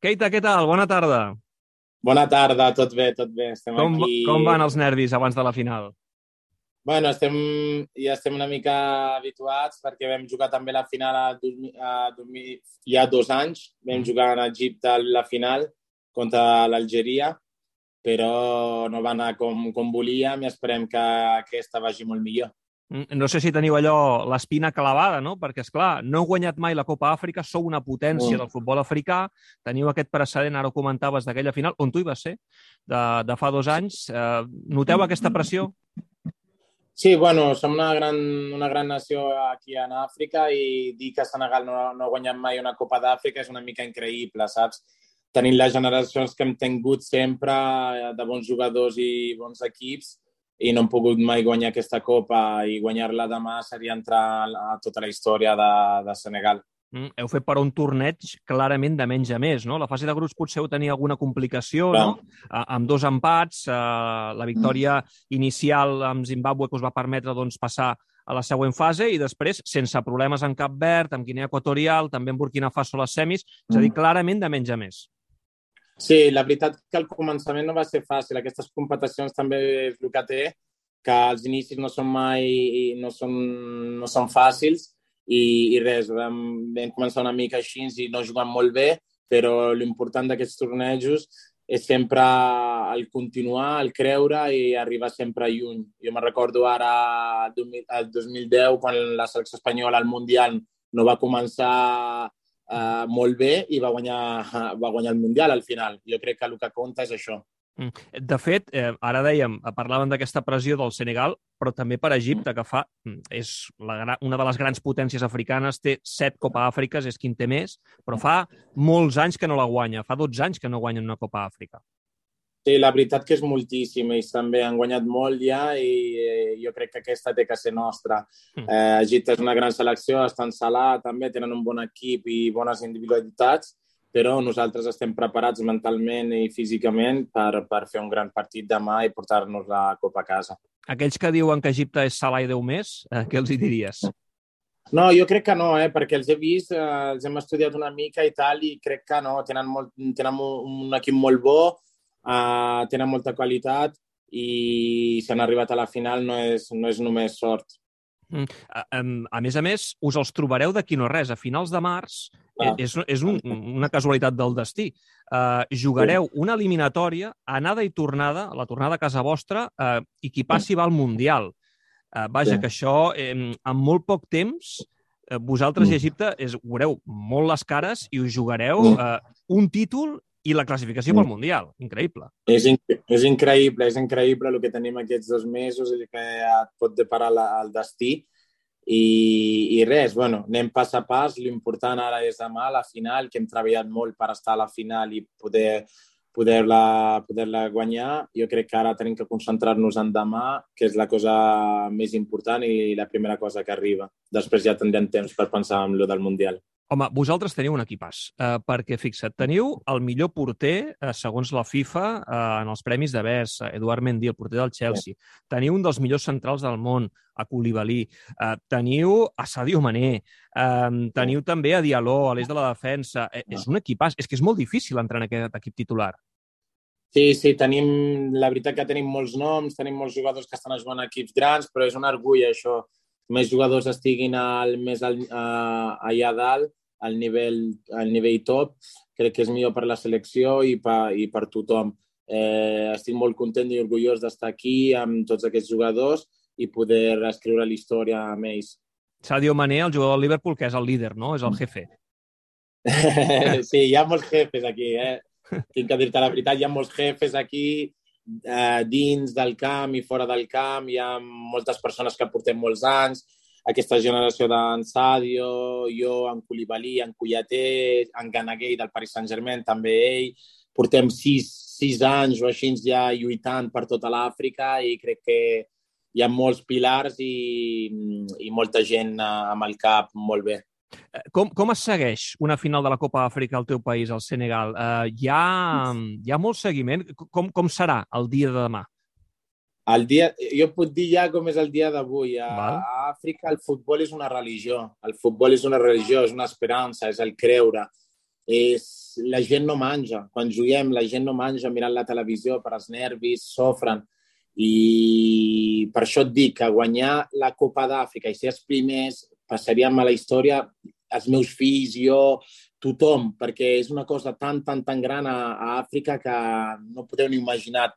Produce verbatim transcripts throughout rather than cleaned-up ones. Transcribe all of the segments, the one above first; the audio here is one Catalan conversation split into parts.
Keita, què tal? Bona tarda. Bona tarda, tot bé, tot bé. Estem Com, aquí. com van els nervis abans de la final? Bueno, estem, ja estem una mica habituats perquè vam jugar també la final a, dos mil- a, dos mil hi ha dos anys. Vam Mm. jugar a Egipte la final contra l'Algeria, però no va anar com, com volíem i esperem que aquesta vagi molt millor. Mm, No sé si teniu allò, l'espina clavada, no? Perquè, és clar, no heu guanyat mai la Copa Àfrica, sou una potència Mm. del futbol africà, teniu aquest precedent, ara ho comentaves, d'aquella final, on tu hi vas ser, de, de fa dos anys. Eh, noteu aquesta pressió? Sí, bueno, som una gran, una gran nació aquí en Àfrica i dir que Senegal no, no ha guanyat mai una Copa d'Àfrica és una mica increïble, saps? Tenint les generacions que hem tingut sempre eh, de bons jugadors i bons equips i no hem pogut mai guanyar aquesta Copa i guanyar-la demà seria entrar a tota la història de, de Senegal. Mm, heu fet però un torneig clarament de menys a més, no? La fase de grups potser heu tenia alguna complicació, no? Clar. A, amb dos empats, eh, la victòria inicial amb Zimbàbue que us va permetre doncs, passar a la següent fase i després, sense problemes en Cap Verd, amb Guinea Equatorial, també en Burkina Faso a les semis, és a dir, clarament de menys a més. Sí, la veritat que al començament no va ser fàcil. Aquestes competicions també és el que té, que els inicis no són mai no són, no són fàcils i, i res, vam, vam començar una mica així i no jugant molt bé, però l'important d'aquests tornejos és sempre el continuar, el creure i arribar sempre lluny. Jo me recordo ara el dos mil deu, quan la selecció espanyola al Mundial no va començar uh, molt bé i va guanyar, va guanyar el Mundial al final. Jo crec que el que compta és això. Mm. De fet, eh, ara dèiem, parlàvem d'aquesta pressió del Senegal, però també per Egipte, que fa, és la, gra- una de les grans potències africanes, té set Copa Àfriques, és qui en té més, però fa molts anys que no la guanya, fa dotze anys que no guanyen una Copa Àfrica. Sí, la veritat que és moltíssim. Ells també han guanyat molt ja i eh, jo crec que aquesta té que ser nostra. Mm. Eh, Egipte és una gran selecció, estan Salah, també tenen un bon equip i bones individualitats, però nosaltres estem preparats mentalment i físicament per, per fer un gran partit demà i portar-nos la Copa a casa. Aquells que diuen que Egipte és Salah i Déu més, eh, què els hi diries? No, jo crec que no, eh, perquè els he vist, eh, els hem estudiat una mica i tal, i crec que no, tenen, molt, tenen un, un equip molt bo, eh, tenen molta qualitat i si han arribat a la final no és, no és només sort. Mm. A, em- a més a més, us els trobareu d'aquí no res. A finals de març, eh, Clar. és, és un, una casualitat del destí. Uh, Sí. jugareu una eliminatòria, anada i tornada, la tornada a casa vostra, uh, i qui passi va al Mundial. Uh, vaja, Sí. que això, eh, en molt poc temps, eh, vosaltres i Mm. Egipte és, veureu molt les cares i us jugareu Mm. uh, un títol i la classificació Mm. pel Mundial. Increïble. És, in és increïble, és increïble el que tenim aquests dos mesos, el que et pot deparar la, el destí. I, i res, bueno, anem pas a pas. L'important ara és demà, la final, que hem treballat molt per estar a la final i poder poder-la poder guanyar. Jo crec que ara tenim que concentrar-nos en demà, que és la cosa més important i la primera cosa que arriba. Després ja tindrem temps per pensar en lo del Mundial. Home, vosaltres teniu un equipàs, eh, perquè, fixa't, teniu el millor porter, eh, segons la FIFA, eh, en els premis de Best, eh, Eduard Mendy, el porter del Chelsea. Sí. Teniu un dels millors centrals del món, a Koulibaly. Eh, teniu a Sadio Mané. Eh, teniu sí. també a Diallo, a l'eix de la defensa. Eh, és un equipàs. És que és molt difícil entrar en aquest equip titular. Sí, sí, tenim, la veritat que tenim molts noms, tenim molts jugadors que estan jugant a equips grans, però és un orgull això. Més jugadors estiguin al, més al, a, allà dalt, al nivell, al nivell top, crec que és millor per la selecció i per, i per tothom. Eh, estic molt content i orgullós d'estar aquí amb tots aquests jugadors i poder escriure la història amb ells. Sadio Mané, el jugador del Liverpool, que és el líder, no? És el jefe. Sí, hi ha molts jefes aquí, eh? Tinc que dir-te la veritat, hi ha molts jefes aquí, eh, dins del camp i fora del camp. Hi ha moltes persones que portem molts anys. Aquesta generació d'en Sadio, jo, en Koulibaly, en Kouyaté, en Ganaguer del Paris Saint-Germain, també ell. Portem sis, sis anys o així ja lluitant per tota l'Àfrica i crec que hi ha molts pilars i, i molta gent amb el cap molt bé. Com, com es segueix una final de la Copa Àfrica al teu país, al Senegal? Uh, hi, ha, hi ha molt seguiment? Com, com serà el dia de demà? El dia, jo puc dir ja com és el dia d'avui. A, Val. a Àfrica el futbol és una religió. El futbol és una religió, és una esperança, és el creure. és, la gent no menja. Quan juguem, la gent no menja mirant la televisió per als nervis, sofren. I per això et dic que guanyar la Copa d'Àfrica i ser els primers passaríem a la història, els meus fills, jo, tothom, perquè és una cosa tan, tan, tan gran a, a Àfrica que no podeu ni imaginar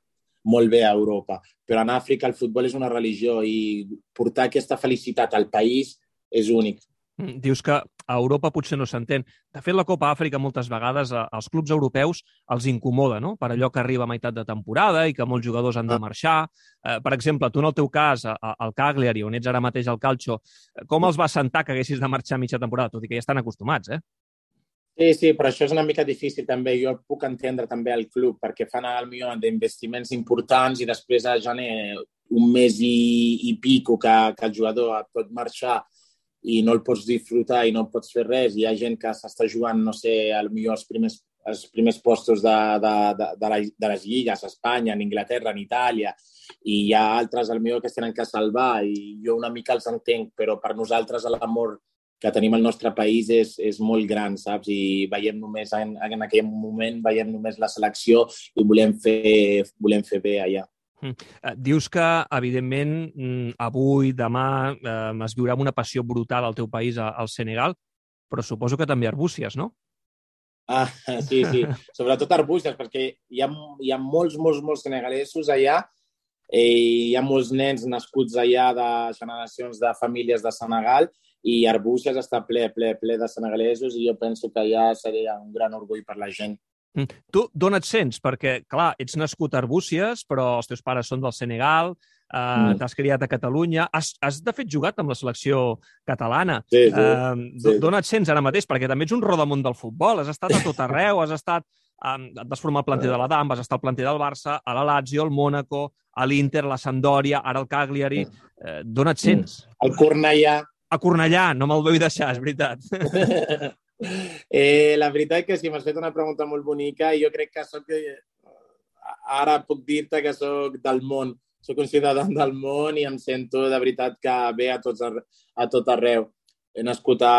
molt bé a Europa. Però en Àfrica el futbol és una religió i portar aquesta felicitat al país és únic. Dius que a Europa potser no s'entén. De fet, la Copa Àfrica moltes vegades als clubs europeus els incomoda, no? Per allò que arriba a meitat de temporada i que molts jugadors han de marxar. Eh, per exemple, tu en el teu cas, al Cagliari, on ets ara mateix al Calcio, com els va sentar que haguessis de marxar a mitja temporada? Tot i que ja estan acostumats, eh? Sí, sí, però això és una mica difícil també. Jo puc entendre també el club perquè fan al millor d'investiments importants i després a gener un mes i, i pico que, que el jugador pot marxar i no el pots disfrutar i no pots fer res. Hi ha gent que s'està jugant, no sé, potser els primers, els primers postos de, de, de, de, la, de les lligues, a Espanya, en Inglaterra, en Itàlia, i hi ha altres potser que es tenen que salvar i jo una mica els entenc, però per nosaltres l'amor que tenim al nostre país és, és molt gran, saps? I veiem només, en, en aquell moment, veiem només la selecció i volem fer, volem fer bé allà. Dius que, evidentment, avui, demà, eh, es viurà amb una passió brutal al teu país, al Senegal, però suposo que també Arbúcies, no? Ah, sí, sí. Sobretot Arbúcies, perquè hi ha, hi ha molts, molts, molts senegalesos allà i hi ha molts nens nascuts allà de generacions de famílies de Senegal i Arbúcies està ple, ple, ple de senegalesos i jo penso que allà seria un gran orgull per la gent. Tu d'on et sents? Perquè, clar, ets nascut a Arbúcies, però els teus pares són del Senegal, eh, mm. t'has criat a Catalunya, has, has de fet jugat amb la selecció catalana. Sí, sí, eh, sí. D'on et sents ara mateix? Perquè també ets un rodamont del futbol, has estat a tot arreu, has estat, eh, et vas formar al planter de l'Adam, vas estar al planter del Barça, a la Lazio, al Mónaco, a l'Inter, la Sampdoria, ara al Cagliari. Eh, d'on et sents? Al Cornellà. A Cornellà, no me'l vull deixar, és veritat. Eh, la veritat que sí, m'has fet una pregunta molt bonica i jo crec que soc... Ara puc dir-te que soc del món. Soc un ciutadà del món i em sento de veritat que ve a, tots, a tot arreu. He nascut a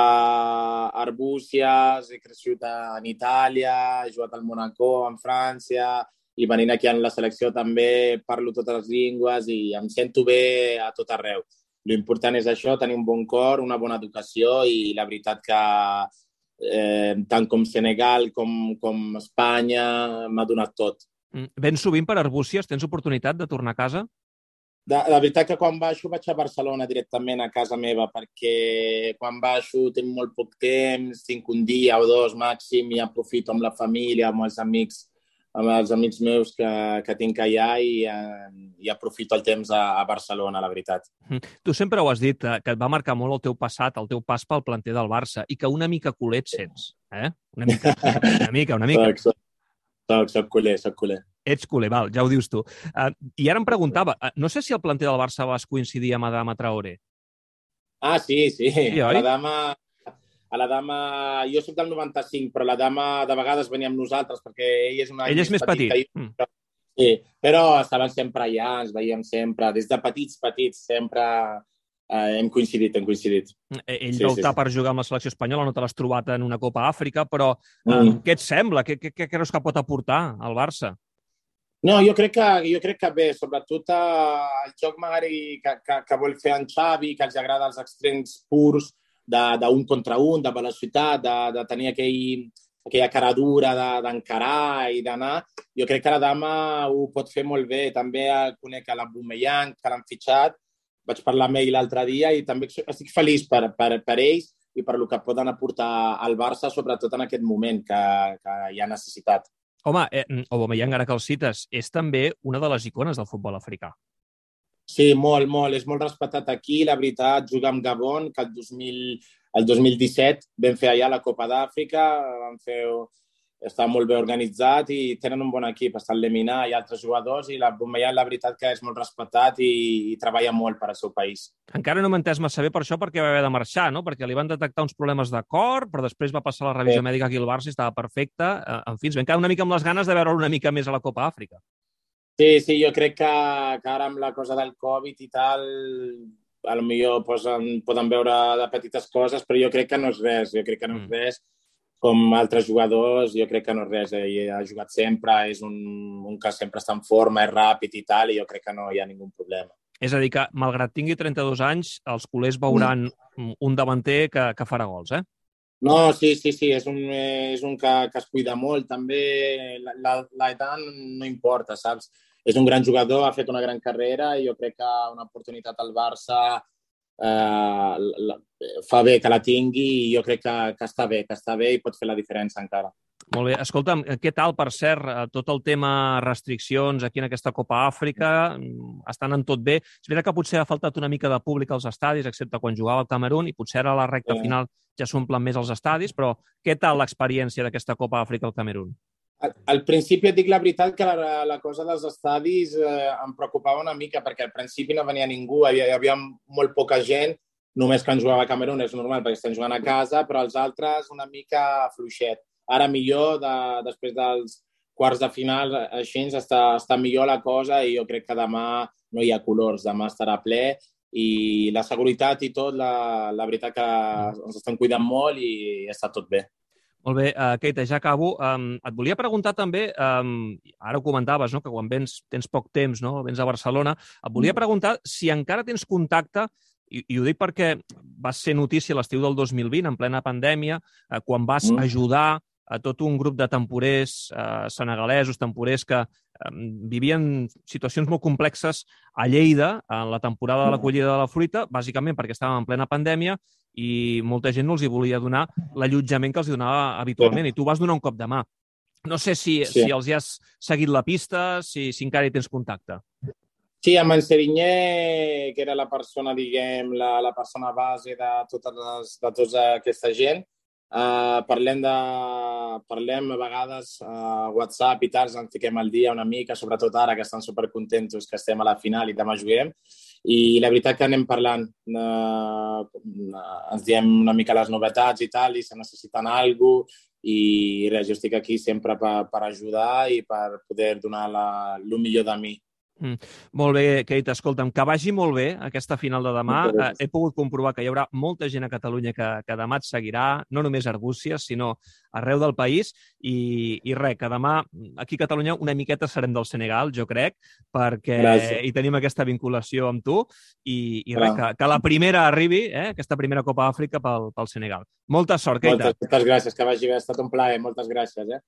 Arbúcies, he crescut en Itàlia, he jugat al Mónaco, en França, i venint aquí en la selecció també parlo totes les llengües i em sento bé a tot arreu. L'important és això, tenir un bon cor, una bona educació i la veritat que Eh, tant com Senegal com, com Espanya m'ha donat tot. Ben sovint per Arbúcies tens oportunitat de tornar a casa? De, la veritat que quan baixo vaig a Barcelona directament a casa meva perquè quan baixo tinc molt poc temps, tinc un dia o dos màxim i aprofito amb la família, amb els amics amb els amics meus que, que tinc allà i, i aprofito el temps a, a Barcelona, la veritat. Tu sempre ho has dit, que et va marcar molt el teu passat, el teu pas pel planter del Barça, i que una mica culer et sents, eh? Una mica, una mica, una mica. Soc, soc, soc culer, soc culer. Ets culer, val, ja ho dius tu. Uh, I ara em preguntava, no sé si el planter del Barça vas coincidir amb Adama Traoré. Ah, sí, sí. Sí, oi? La dama... A la dama, jo soc del noranta-cinc, però la dama de vegades venia amb nosaltres perquè ell és una ell és més petit. petit. Jo, però, sí, però estaven sempre allà, ens veiem sempre, des de petits, petits, sempre eh, hem coincidit, hem coincidit. Ell sí, va optar sí, per jugar amb la selecció espanyola, no te l'has trobat en una Copa Àfrica, però eh, mm. què et sembla? Què, què, què creus que pot aportar al Barça? No, jo crec que, jo crec que bé, sobretot eh, el joc magari que, que, que vol fer en Xavi, que els agrada els extrems purs, d'un contra un, de velocitat, de, de tenir aquell, aquella cara dura d'encarar i d'anar. Jo crec que la dama ho pot fer molt bé. També conec a l'Aubameyang, que l'han fitxat. Vaig parlar amb ell l'altre dia i també estic feliç per, per, per ells i per el que poden aportar al Barça, sobretot en aquest moment que, que hi ha necessitat. Home, eh, Aubameyang, ara que el cites, és també una de les icones del futbol africà. Sí, molt, molt. És molt respectat aquí. La veritat, jugar amb Gabon, que el dos mil, el dos mil disset vam fer allà la Copa d'Àfrica, vam fer, està molt bé organitzat i tenen un bon equip. Està el Lemina i altres jugadors i la Aubameyang, la veritat que és molt respectat i, i treballa molt per al seu país. Encara no m'he entès massa bé per això perquè va haver de marxar, no? Perquè li van detectar uns problemes de cor, però després va passar la revisió sí. mèdica aquí al Barça i estava perfecte. En fi, ens vam quedar una mica amb les ganes de veure'l una mica més a la Copa Àfrica. Sí, sí, jo crec que, que ara amb la cosa del Covid i tal, potser posen, poden veure de petites coses, però jo crec que no és res, jo crec que no és res. com altres jugadors, jo crec que no és res. Ell ha jugat sempre, és un, un que sempre està en forma, és ràpid i tal, i jo crec que no hi ha ningú problema. És a dir, que malgrat tingui trenta-dos anys, els culers Mm. veuran un davanter que, que farà gols, eh? No, sí, sí, sí, és un, és un que, que es cuida molt, també l'edat no importa, saps? És un gran jugador, ha fet una gran carrera i jo crec que una oportunitat al Barça eh, la, fa bé que la tingui i jo crec que, que està bé, que està bé i pot fer la diferència encara. Molt bé. Escolta'm, què tal, per cert, tot el tema restriccions aquí en aquesta Copa Àfrica? Estan en tot bé? És veritat que potser ha faltat una mica de públic als estadis, excepte quan jugava el Camerun, i potser ara a la recta Sí. final ja s'omplen més els estadis, però què tal l'experiència d'aquesta Copa Àfrica al Camerun? Al, al principi et dic la veritat que la, la cosa dels estadis eh, em preocupava una mica perquè al principi no venia ningú, hi havia, hi havia molt poca gent, només quan jugava a Camerun és normal perquè estem jugant a casa, però els altres una mica fluixet. Ara millor, de, després dels quarts de final, així està, està millor la cosa i jo crec que demà no hi ha colors, demà estarà ple i la seguretat i tot, la, la veritat que ens estan cuidant molt i està tot bé. Molt bé, uh, Keita, ja acabo. Um, et volia preguntar també, um, ara ho comentaves, no?, que quan vens, tens poc temps, no?, vens a Barcelona, et volia preguntar si encara tens contacte, i, i ho dic perquè vas ser notícia l'estiu del dos mil vint, en plena pandèmia, uh, quan vas Mm. ajudar a tot un grup de temporers eh, senegalesos, temporers que eh, vivien situacions molt complexes a Lleida en la temporada de la collida de la fruita, bàsicament perquè estàvem en plena pandèmia i molta gent no els hi volia donar l'allotjament que els donava habitualment, i tu vas donar un cop de mà. No sé si, Sí. si els hi has seguit la pista, si, si encara hi tens contacte. Sí, amb en Serinyé, que era la persona, diguem, la, la persona base de, totes les, de tota aquesta gent, Uh, parlem, de, parlem a vegades a uh, WhatsApp i tal, ens fiquem al dia una mica, sobretot ara que estan supercontentos que estem a la final i demà juguem, i la veritat que anem parlant, uh, ens diem una mica les novetats i tal, i se necessiten alguna cosa, i res, jo estic aquí sempre per, per ajudar i per poder donar la, el millor de mi. Mm. Molt bé, Keita, escolta'm, que vagi molt bé aquesta final de demà. Eh, he pogut comprovar que hi haurà molta gent a Catalunya que, que demà et seguirà, no només a Arbúcies, sinó arreu del país, i, i res, que demà aquí a Catalunya una miqueta serem del Senegal, jo crec, perquè Gràcies. hi tenim aquesta vinculació amb tu, i, i res, que, que la primera arribi, eh, aquesta primera Copa Àfrica pel, pel Senegal. Molta sort, Keita. Moltes, moltes gràcies, que vagi bé, ha estat un plaer, moltes gràcies. Eh?